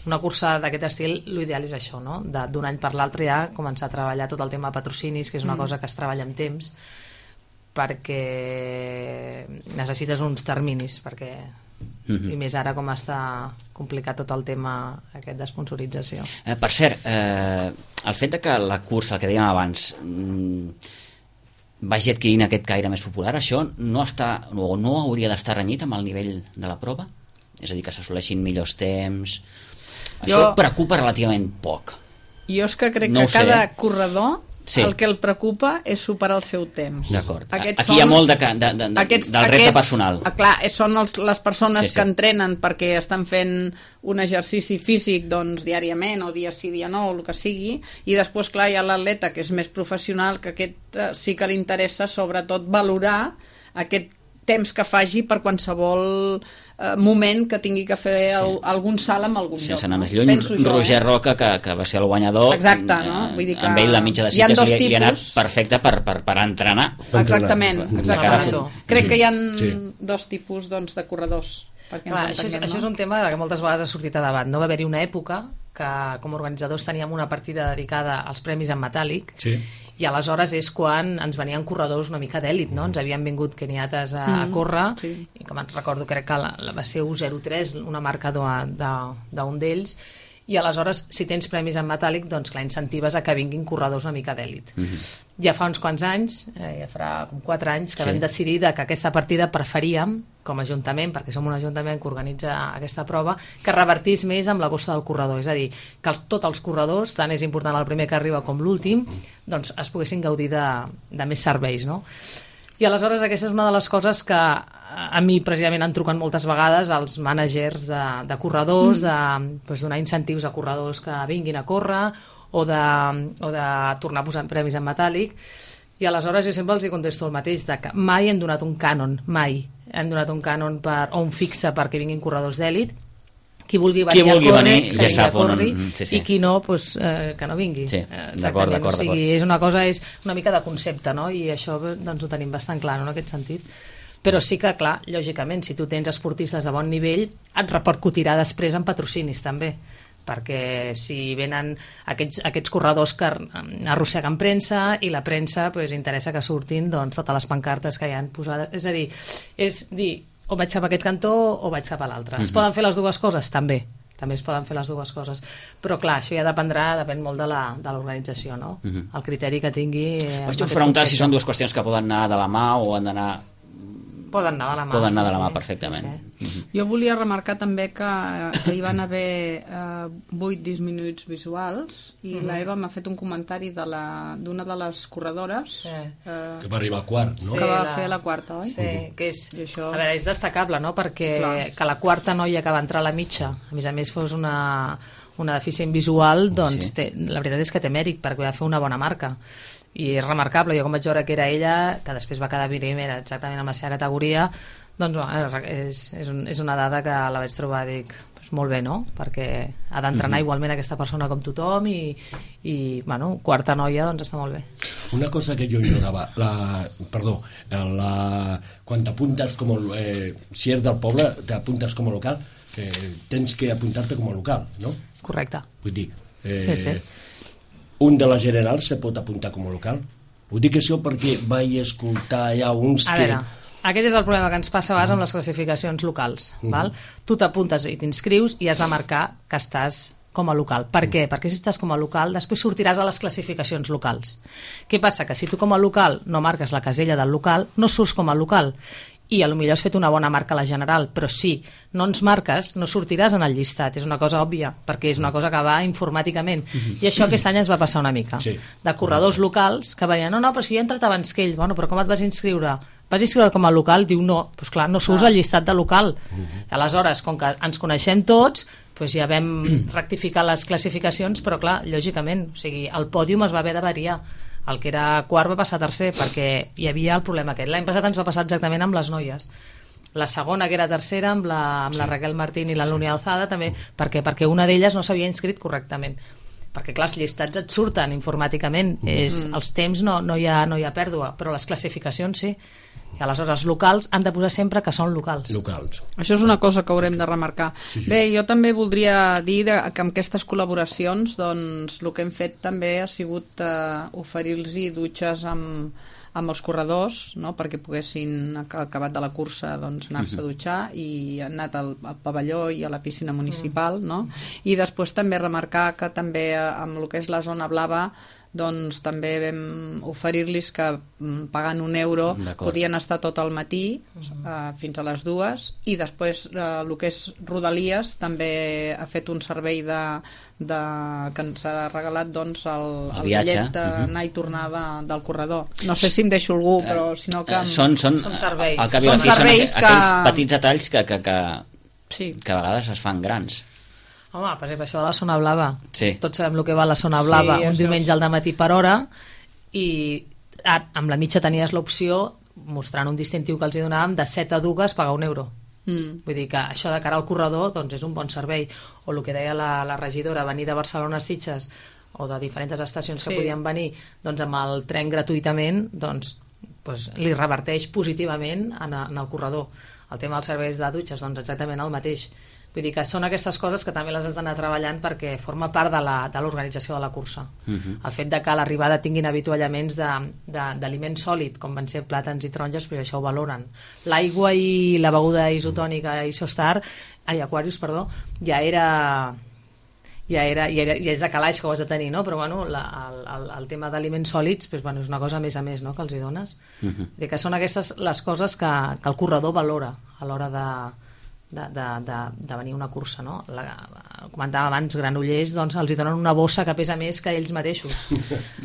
Una cursa d'aquest estil, l'ideal és això, no? D'un any per l'altre ja començar a treballar tot el tema de patrocinis, que és una cosa que es treballa amb temps, perquè necessites uns terminis, perquè i més ara com està complicat tot el tema aquest d'esponsorització. Per cert, el fet de que la cursa, el que dèiem abans, vagi adquirint aquest caire més popular, això no hauria d'estar renyit amb el nivell de la prova? És a dir, que s'assoleixin millors temps... Això preocupa relativament poc. Jo és que crec que cada corredor el que el preocupa és superar el seu temps. D'acord. Aquí hi ha molt del repte personal. Clar, són les persones que entrenen perquè estan fent un exercici físic diàriament o dia sí, dia no, o el que sigui, i després, clar, hi ha l'atleta que és més professional, que aquest sí que li interessa sobretot valorar aquest temps que faci per qualsevol moment que tingui que fer algun salt en algun lloc. Sense anar més lluny, Roger Roca, que va ser el guanyador, amb ell la mitja de Sitges li ha anat perfecte per entrenar. Exactament. Crec que hi ha dos tipus de corredors. Això és un tema que moltes vegades ha sortit a debat. No va haver-hi una època que com a organitzadors teníem una partida dedicada als premis en metàl·lic, i aleshores és quan ens venien corredors una mica d'èlit, no? Ens havien vingut keniates a córrer, i com recordo, crec que va ser 1.03, una marca d'un d'ells, i aleshores, si tens premis en metàl·lic, doncs clar, incentives a que vinguin corredors una mica d'èlit. Ja fa uns quants anys, ja farà com 4 anys, que vam decidir que aquesta partida preferíem, com a Ajuntament, perquè som un Ajuntament que organitza aquesta prova, que revertís més amb la bossa del corredor. És a dir, que tots els corredors, tant és important el primer que arriba com l'últim, doncs es poguessin gaudir de més serveis, no? I aleshores aquesta és una de les coses que a mi precisament han trucat moltes vegades els mànagers de corredors, de donar incentius a corredors que vinguin a córrer, o de tornar a posar premis en metàl·lic, i aleshores jo sempre els contesto el mateix, que mai hem donat un cànon, mai hem donat un cànon o un fixe perquè vinguin corredors d'èlit. Qui vulgui venir a córrer, ja sap on... I qui no, que no vingui. D'acord. O sigui, és una mica de concepte, no? I això doncs, ho tenim bastant clar, no, en aquest sentit. Però sí que, clar, lògicament, si tu tens esportistes de bon nivell, et repercutirà després en patrocinis, també, perquè si venen aquests corredors que arrosseguen premsa i la premsa interessa que surtin totes les pancartes que hi han posades. És a dir, o vaig cap a aquest cantó o vaig cap a l'altre. Es poden fer les dues coses? També es poden fer les dues coses. Però clar, això ja depèn molt de l'organització, no? El criteri que tingui... Vaig preguntar si són dues qüestions que poden anar de la mà o han d'anar... Poden anar de la mà. Poden anar de la mà, perfectament. Jo volia remarcar també que hi van haver 8 disminuïts visuals i la Eva m'ha fet un comentari d'una de les corredores que va arribar a quart, no? Que va fer la quarta, oi? Sí, que és, a veure, és destacable, no? Perquè que la quarta noia que va entrar a la mitja, a més fos una deficient visual, doncs la veritat és que té mèrit, perquè va fer una bona marca. I és remarcable, jo com vaig veure que era ella, que després va quedar primera exactament en la seva categoria, doncs és una dada que la vaig trobar, dic, molt bé, no? Perquè ha d'entrenar igualment aquesta persona com tothom i bueno, quarta noia, doncs està molt bé. Una cosa que jo ignorava, quan t'apuntes com si ets del poble, t'apuntes com a local, tens que apuntar-te com a local, no? Correcte. Vull dir, sí. Un de la General se pot apuntar com a local? Ho dic això perquè vaig escoltar ja uns que... A veure, aquest és el problema que ens passa a vegades amb les classificacions locals. Val? Tu t'apuntes i t'inscrius i has de marcar que estàs com a local. Per què? Perquè si estàs com a local, després sortiràs a les classificacions locals. Què passa? Que si tu com a local no marques la casella del local, no surts com a local. I potser has fet una bona marca a la General, però si no ens marques, no sortiràs en el llistat. És una cosa òbvia, perquè és una cosa que va informàticament. I això aquest any es va passar una mica. Sí. De corredors locals que venien, no, però si jo he entrat abans que ell. Bueno, però com et vas inscriure? Vas inscriure com a local? Diu, no. Doncs clar, no surts al llistat de local. Aleshores, com que ens coneixem tots, doncs ja vam rectificar les classificacions, però clar, lògicament, o sigui, el pòdium es va haver de variar. El que era quart va passar a tercer perquè hi havia el problema aquest. L'any passat ens va passar exactament amb les noies. La segona, que era tercera, amb la Raquel Martín i la Lúnia Alzada, també, perquè una d'elles no s'havia inscrit correctament. Perquè, clar, els llistats et surten informàticament. Els temps no hi ha pèrdua, però les classificacions sí. I aleshores els locals han de posar sempre que són locals. Això és una cosa que haurem de remarcar. Sí. Bé, jo també voldria dir que amb aquestes col·laboracions doncs, el que hem fet també ha sigut oferir-los dutxes amb els corredors, no? Perquè poguessin, acabat de la cursa, doncs, anar-se a dutxar, i han anat al pavelló i a la piscina municipal, no? I després també remarcar que també amb el que és la zona blava doncs també vam oferir-los que pagant €1 podien estar tot el matí fins a les 2, i després el que és Rodalies també ha fet un servei que ens ha regalat doncs, el bitllet d'anar i tornar del corredor. No sé si em deixo algú, però si no que... Són serveis. Al cap i a la fi són aquells petits detalls que a vegades es fan grans. Home, per exemple, això de la zona blava. Sí. Tots sabem el que va la zona blava, un diumenge al dematí per hora, i amb la mitja tenies l'opció, mostrant un distintiu que els hi donàvem, de 7 a 2 pagar €1. Vull dir que això de cara al corredor doncs és un bon servei. O el que deia la regidora, venir de Barcelona a Sitges o de diferents estacions que podien venir doncs amb el tren gratuïtament, doncs li reverteix positivament en el corredor. El tema dels serveis de dutxes, doncs exactament el mateix. Vull dir que són aquestes coses que també les has d'anar treballant perquè forma part de l'organització de la cursa. El fet de que a l'arribada tinguin avituallaments d'aliment sòlid, com van ser plàtans i taronges, però això ho valoren. L'aigua i la beguda isotònica Aquarius, ja ja és de calaix que ho has de tenir, no? Però bueno, el tema d'aliments sòlids és una cosa a més, no?, que els hi dones. Que són aquestes les coses que el corredor valora a l'hora de venir a una cursa, no? Comentava abans, Granollers, doncs els hi donen una bossa que pesa més que ells mateixos,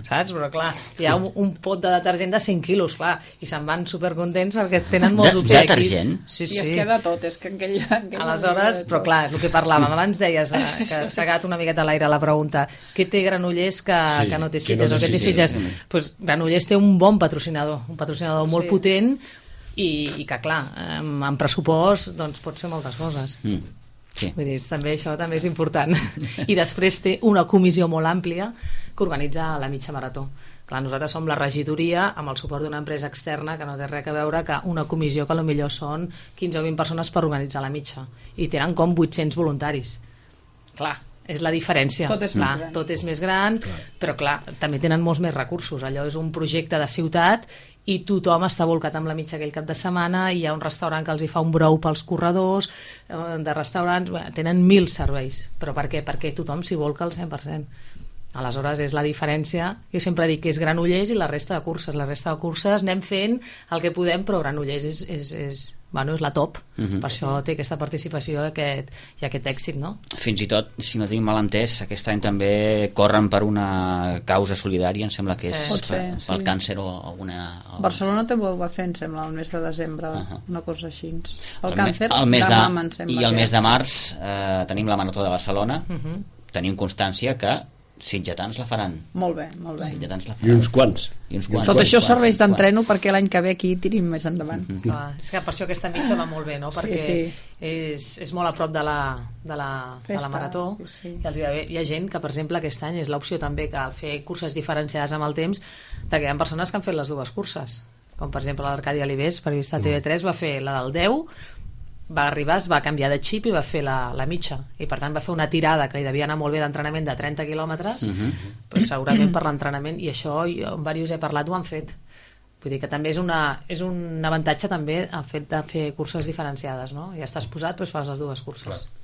saps? Però clar, hi ha un pot de detergent de 100 quilos, clar, i se'n van supercontents perquè tenen molts obsequis. Detergent? Sí. I es queda tot, és que aquell aleshores, però clar, el que parlàvem abans, deies que s'ha quedat una miqueta a l'aire la pregunta, què té Granollers que no té Sitges, o què té Sitges? Doncs Granollers té un bon patrocinador, molt potent, i que clar, amb pressupost doncs pots fer moltes coses. Sí. Vull dir, això també és important. I després té una comissió molt àmplia que organitza la mitja marató. Clar, nosaltres som la regidoria amb el suport d'una empresa externa que no té res a veure que una comissió que potser són 15 o 20 persones per organitzar la mitja, i tenen com 800 voluntaris. Clar, és la diferència. Tot és més gran, però clar, també tenen molts més recursos. Allò és un projecte de ciutat i tothom està volcat amb la mitja aquell cap de setmana, i hi ha un restaurant que els hi fa un brou pels corredors, de restaurants, tenen 1.000 serveis. Però per què? Perquè tothom s'hi volca al 100%. Aleshores és la diferència. Jo sempre dic que és Granollers i la resta de curses. La resta de curses anem fent el que podem, però Granollers és la top. Per això té aquesta participació i aquest èxit, no? Fins i tot, si no tinc mal entès, aquest any també corren per una causa solidària, em sembla que és pel càncer o alguna... Barcelona també ho va fer, em sembla, el mes de desembre, una cosa així. El càncer de mama, em sembla. I el mes de març tenim la Marató de Barcelona, tenim constància que sitgetans la faran. Molt bé. I uns quants. Tot això serveix d'entreno perquè l'any que ve aquí tirim més endavant. És que per això aquesta mitja va molt bé, no? Perquè és molt a prop de la marató, i hi ha gent que, per exemple, aquest any és l'opció també que al fer curses diferenciades amb el temps, que hi ha persones que han fet les dues curses, com per exemple l'Arcadi Alibés, periodista TV3, va fer la del 10, va arribar, es va canviar de xip i va fer la mitja, i per tant va fer una tirada que li devia anar molt bé d'entrenament de 30 quilòmetres, però segurament per l'entrenament, i això jo amb diversos he parlat, ho han fet. Vull dir que també és un avantatge també el fet de fer curses diferenciades, no? Ja estàs posat, doncs fas les dues curses. Clar.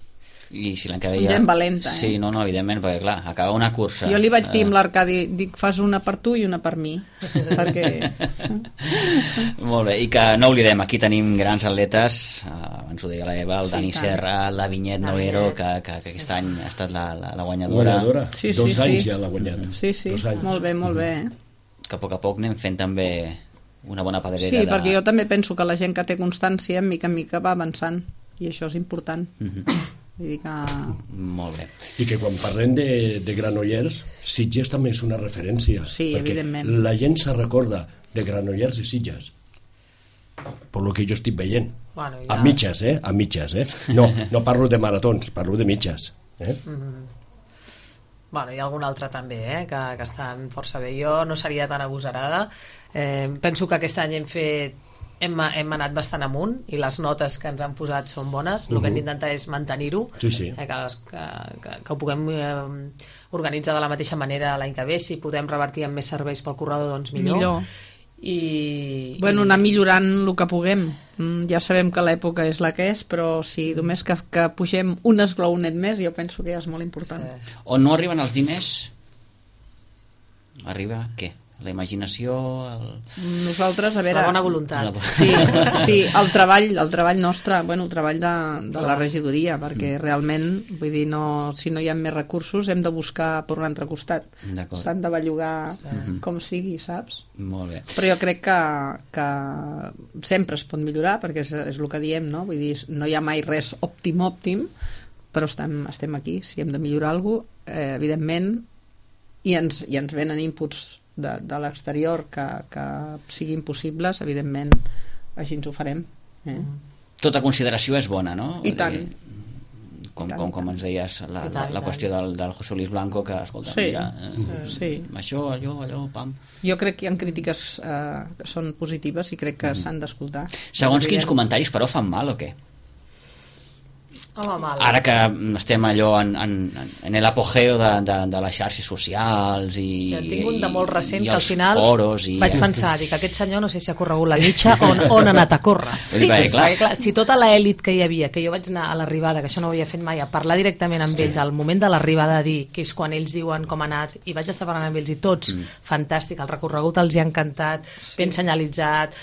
I si l'any que ve gent valenta, Sí, no, evidentment, perquè clar, acaba una cursa. Jo li vaig dir amb l'Arcadi, dic, fas una per tu i una per mi, perquè... Molt bé, i que no oblidem, aquí tenim grans atletes, abans ho deia la Eva, el Dani Serra, la Vinyet Noguero, que aquest any ha estat la guanyadora. Dos anys ja l'ha guanyat. Sí, molt bé. Que a poc anem fent també una bona pedrera. Sí, perquè jo també penso que la gent que té constància, mica en mica va avançant, i això és important. Vull dir que... Molt bé. I que quan parlem de Granollers, Sitges també és una referència. Sí, evidentment. La gent se recorda de Granollers i Sitges, per lo que jo estic veient. Bueno, a mitges, A mitges, No parlo de maratons, parlo de mitges. Bueno, hi ha algun altre també, que estan força bé. Jo no seria tan agosarada. Penso que aquest any hem anat bastant amunt, i les notes que ens han posat són bones. El que hem d'intentar és mantenir-ho, que ho puguem organitzar de la mateixa manera l'any que ve. Si podem revertir amb més serveis pel corredor, doncs millor. Anar millorant el que puguem. Ja sabem que l'època és la que és, però si només que pugem un esglaonet més, jo penso que ja és molt important. On no arriben els diners, arriba què? La imaginació, nosaltres, a veure, la bona voluntat. Sí, el treball nostre, el treball de la regidoria, perquè realment, vull dir, si no hi ha més recursos hem de buscar per un altre costat. S'han de bellugar com sigui, saps? Molt bé. Però jo crec que sempre es pot millorar, perquè és el que diem, no? Vull dir, no hi ha mai res òptim, però estem aquí. Si hem de millorar alguna cosa, evidentment, i ens venen inputs de l'exterior que siguin possibles, evidentment així ens ho farem. Tota consideració és bona, no? I tant. Com ens deies, la qüestió del José Luis Blanco, que escolta, mira, això, allò, pam. Jo crec que hi ha crítiques que són positives i crec que s'han d'escoltar. Segons quins comentaris, però, fan mal o què? Ara que estem allò en l'apogeo de les xarxes socials i jo en tinc un de molt recent que al els final foros vaig pensar, dic, aquest senyor no sé si ha corregut la mitja o on ha anat a córrer. Sí, clar. Si tota l'elit que hi havia, que jo vaig anar a l'arribada, que això no ho havia fet mai, a parlar directament amb ells al moment de l'arribada, a dir que és quan ells diuen com ha anat, i vaig estar parlant amb ells i tots, fantàstic, el recorregut els hi ha encantat, ben senyalitzat,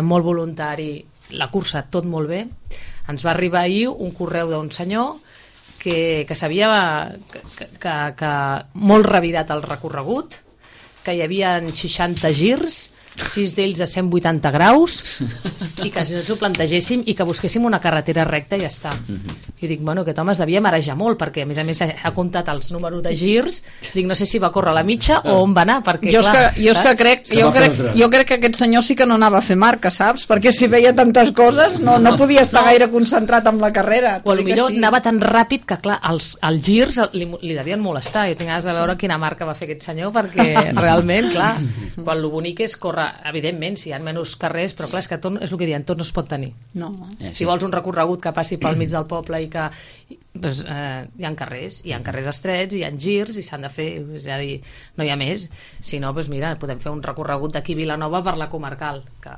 molt voluntari, la cursa tot molt bé. Ens va arribar ahir un correu d'un senyor que sabia que molt revirat el recorregut, que hi havia 60 girs, 6 d'ells a 180 graus, i que ens ho plantegéssim i que busquéssim una carretera recta i ja està. I dic, bueno, aquest home es devia marejar molt, perquè a més ha comptat els números de girs, dic, no sé si va córrer a la mitja o on va anar, perquè jo crec que aquest senyor sí que no anava a fer marca, saps? Perquè si veia tantes coses no podia estar gaire concentrat en la carrera. O potser anava tan ràpid que, clar, els girs li devien molestar. Jo tinc ganes de veure quina marca va fer aquest senyor, perquè realment, clar, quan el bonic és córrer, evidentment, si hi ha menys carrers, però clar, és que tot, és el que diuen, tot no es pot tenir. No. Si vols un recorregut que passi pel mig del poble i que doncs, hi ha carrers estrets, hi ha girs i s'han de fer, és a dir, no hi ha més. Si no, doncs mira, podem fer un recorregut d'aquí a Vilanova per la comarcal, que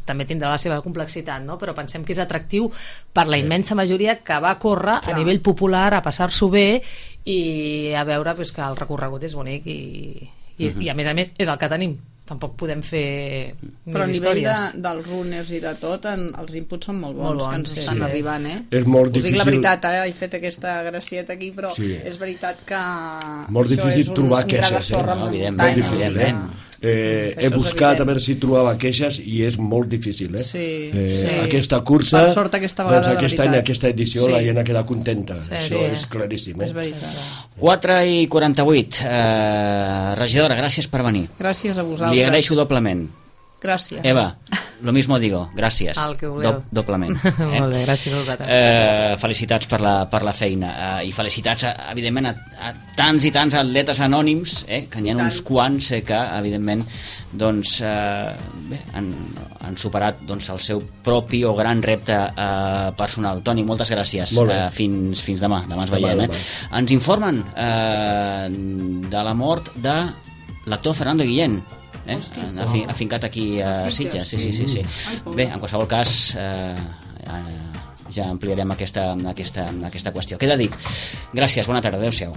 també tindrà la seva complexitat, no? Però pensem que és atractiu per la immensa majoria que va córrer a nivell popular, a passar-s'ho bé i a veure doncs, que el recorregut és bonic i a més és el que tenim. Tampoc podem fer però a nivell històries. dels runners i de tot els inputs són molt bons, que ens estan arribant, És molt difícil. Dic la veritat, he fet aquesta gracieta aquí, però és veritat que molt difícil trobar queixes, evidentment. He buscat a veure si trobava queixes i és molt difícil, aquesta cursa, per sort aquesta vegada, aquest any, aquesta edició la gent ha quedat contenta, això és claríssim. És veritat. 4:48. Regidora, gràcies per venir. Gràcies a vosaltres. Li agraeixo doblement. Gràcies. Eva, lo mismo digo, gràcies. El que voleu. Doblement. Molt bé, gràcies a vosaltres. Felicitats per la feina i felicitats, evidentment, a tants i tants atletes anònims, que n'hi ha uns quants que, evidentment, doncs, han superat doncs, el seu propi o gran repte personal. Toni, moltes gràcies. Fins demà. Demà ens veiem. Ens informen de la mort de l'actor Fernando Guillén, afincat aquí a Sitges. Sí. Bé, en qualsevol cas ja ampliarem aquesta qüestió. Queda dit. Gràcies, bona tarda, adeu-siau.